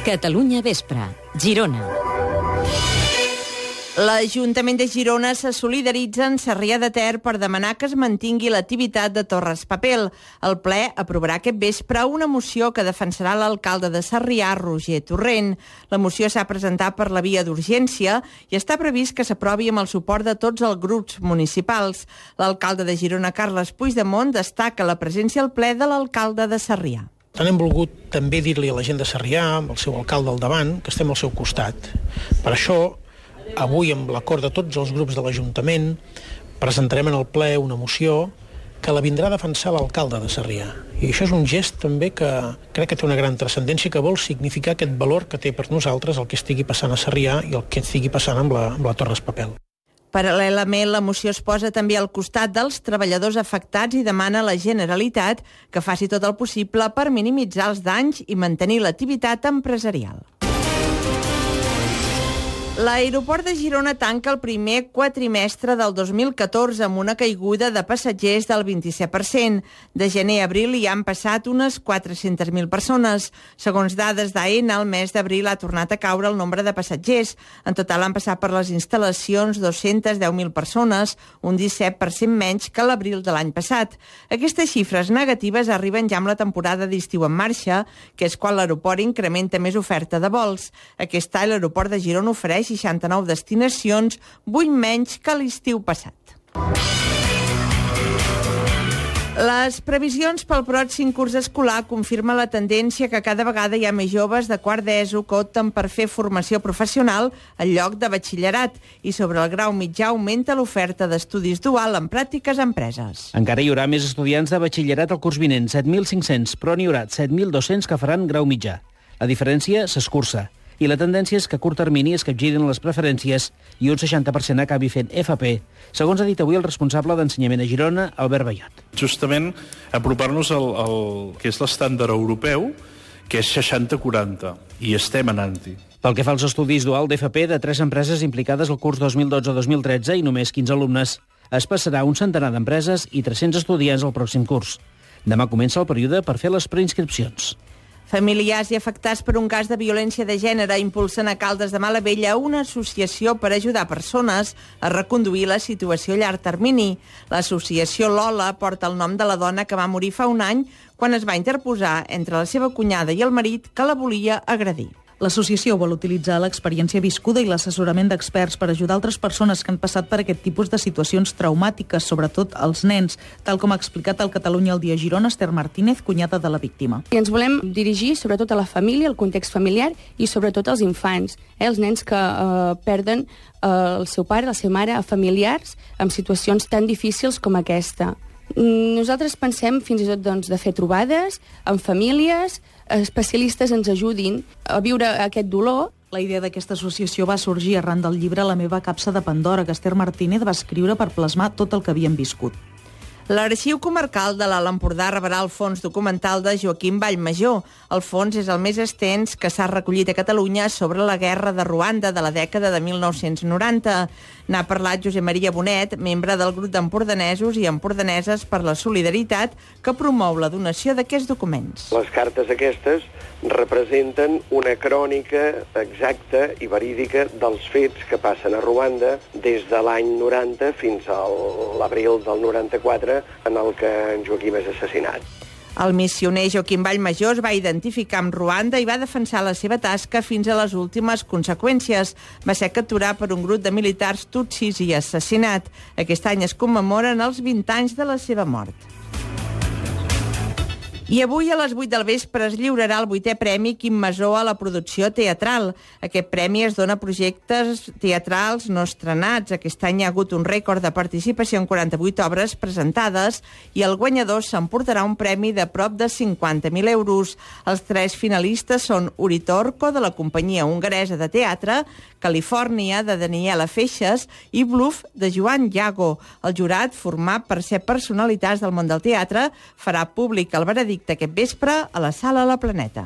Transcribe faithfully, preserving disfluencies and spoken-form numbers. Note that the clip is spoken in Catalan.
Catalunya Vespre, Girona. L'Ajuntament de Girona se solidaritza amb Sarrià de Ter per demanar que es mantingui l'activitat de Torres Papel. El ple aprovarà aquest vespre una moció que defensarà l'alcalde de Sarrià, Roger Torrent. La moció s'ha presentat per la via d'urgència i està previst que s'aprovi amb el suport de tots els grups municipals. L'alcalde de Girona, Carles Puigdemont, destaca la presència al ple de l'alcalde de Sarrià. Tant hem volgut també dir-li a la gent de Sarrià, amb el seu alcalde al davant, que estem al seu costat. Per això, avui, amb l'acord de tots els grups de l'Ajuntament, presentarem en el ple una moció que la vindrà a defensar l'alcalde de Sarrià. I això és un gest també que crec que té una gran transcendència, que vol significar aquest valor que té per nosaltres el que estigui passant a Sarrià i el que estigui passant amb la, amb la Torres Papel. Paral·lelament, la moció es posa també al costat dels treballadors afectats i demana a la Generalitat que faci tot el possible per minimitzar els danys i mantenir l'activitat empresarial. L'aeroport de Girona tanca el primer quatrimestre del dos mil catorze amb una caiguda de passatgers del vint-i-set per cent. De gener a abril hi han passat unes quatre-centes mil persones. Segons dades d'A E N A, el mes d'abril ha tornat a caure el nombre de passatgers. En total han passat per les instal·lacions dos-centes deu mil persones, un disset per cent menys que l'abril de l'any passat. Aquestes xifres negatives arriben ja amb la temporada d'estiu en marxa, que és quan l'aeroport incrementa més oferta de vols. Aquest any l'aeroport de Girona ofereix seixanta-nou destinacions, vuit menys que l'estiu passat. Les previsions pel pròxim curs escolar confirmen la tendència que cada vegada hi ha més joves de quart d'ESO que opten per fer formació professional en lloc de batxillerat i sobre el grau mitjà augmenta l'oferta d'estudis dual en pràctiques a empreses. Encara hi haurà més estudiants de batxillerat al curs vinent, set mil cinc-cents, però n'hi haurà set mil dos-cents que faran grau mitjà. La diferència s'escurça. I la tendència és que a curt termini es capgirin les preferències i un seixanta per cent acabi fent F P, segons ha dit avui el responsable d'ensenyament a Girona, Albert Ballot. Justament apropar-nos al, al que és l'estàndard europeu, que és seixanta quaranta, i estem anant-hi. Pel que fa als estudis dual d'F P de tres empreses implicades al curs dos mil dotze dos mil tretze i només quinze alumnes, es passarà un centenar d'empreses i tres-cents estudiants al pròxim curs. Demà comença el període per fer les preinscripcions. Familiars i afectats per un cas de violència de gènere impulsen a Caldes de Malavella una associació per ajudar persones a reconduir la situació a llarg termini. L'associació Lola porta el nom de la dona que va morir fa un any quan es va interposar entre la seva cunyada i el marit que la volia agredir. L'associació vol utilitzar l'experiència viscuda i l'assessorament d'experts per ajudar altres persones que han passat per aquest tipus de situacions traumàtiques, sobretot els nens, tal com ha explicat al Catalunya al dia Girona Esther Martínez, cunyada de la víctima. I ens volem dirigir sobretot a la família, al context familiar i sobretot als infants, eh, els nens que eh, perden eh, el seu pare, la seva mare, a familiars en situacions tan difícils com aquesta. Nosaltres pensem fins i tot doncs, de fer trobades amb famílies, especialistes ens ajudin a viure aquest dolor. La idea d'aquesta associació va sorgir arran del llibre La meva capsa de Pandora, que Esther Martínez va escriure per plasmar tot el que havien viscut. L'Arxiu Comarcal de l'Alt Empordà rebrà el fons documental de Joaquim Vallmajor. El fons és el més extens que s'ha recollit a Catalunya sobre la guerra de Ruanda de la dècada de mil nou-cents noranta. N'ha parlat Josep Maria Bonet, membre del grup d'empordanesos i empordaneses per la solidaritat, que promou la donació d'aquests documents. Les cartes aquestes representen una crònica exacta i verídica dels fets que passen a Ruanda des de l'any noranta fins a l'abril del noranta-quatre, en el que en Joaquim és assassinat. El missioner Joaquim Vallmajor es va identificar amb Ruanda i va defensar la seva tasca fins a les últimes conseqüències. Va ser capturat per un grup de militars tutsis i assassinat. Aquest any es commemoren els vint anys de la seva mort. I avui a les vuit del vespre es lliurarà el vuitè Premi Quim Masó a la producció teatral. Aquest premi es dona a projectes teatrals no estrenats. Aquest any hi ha hagut un rècord de participació en quaranta-vuit obres presentades i el guanyador s'emportarà un premi de prop de cinquanta mil euros. Els tres finalistes són Uritorco, de la companyia hongaresa de teatre, Califòrnia, de Daniela Feixes, i Bluff, de Joan Llago. El jurat, format per set personalitats del món del teatre, farà públic el veredicte aquest vespre a la Sala La Planeta.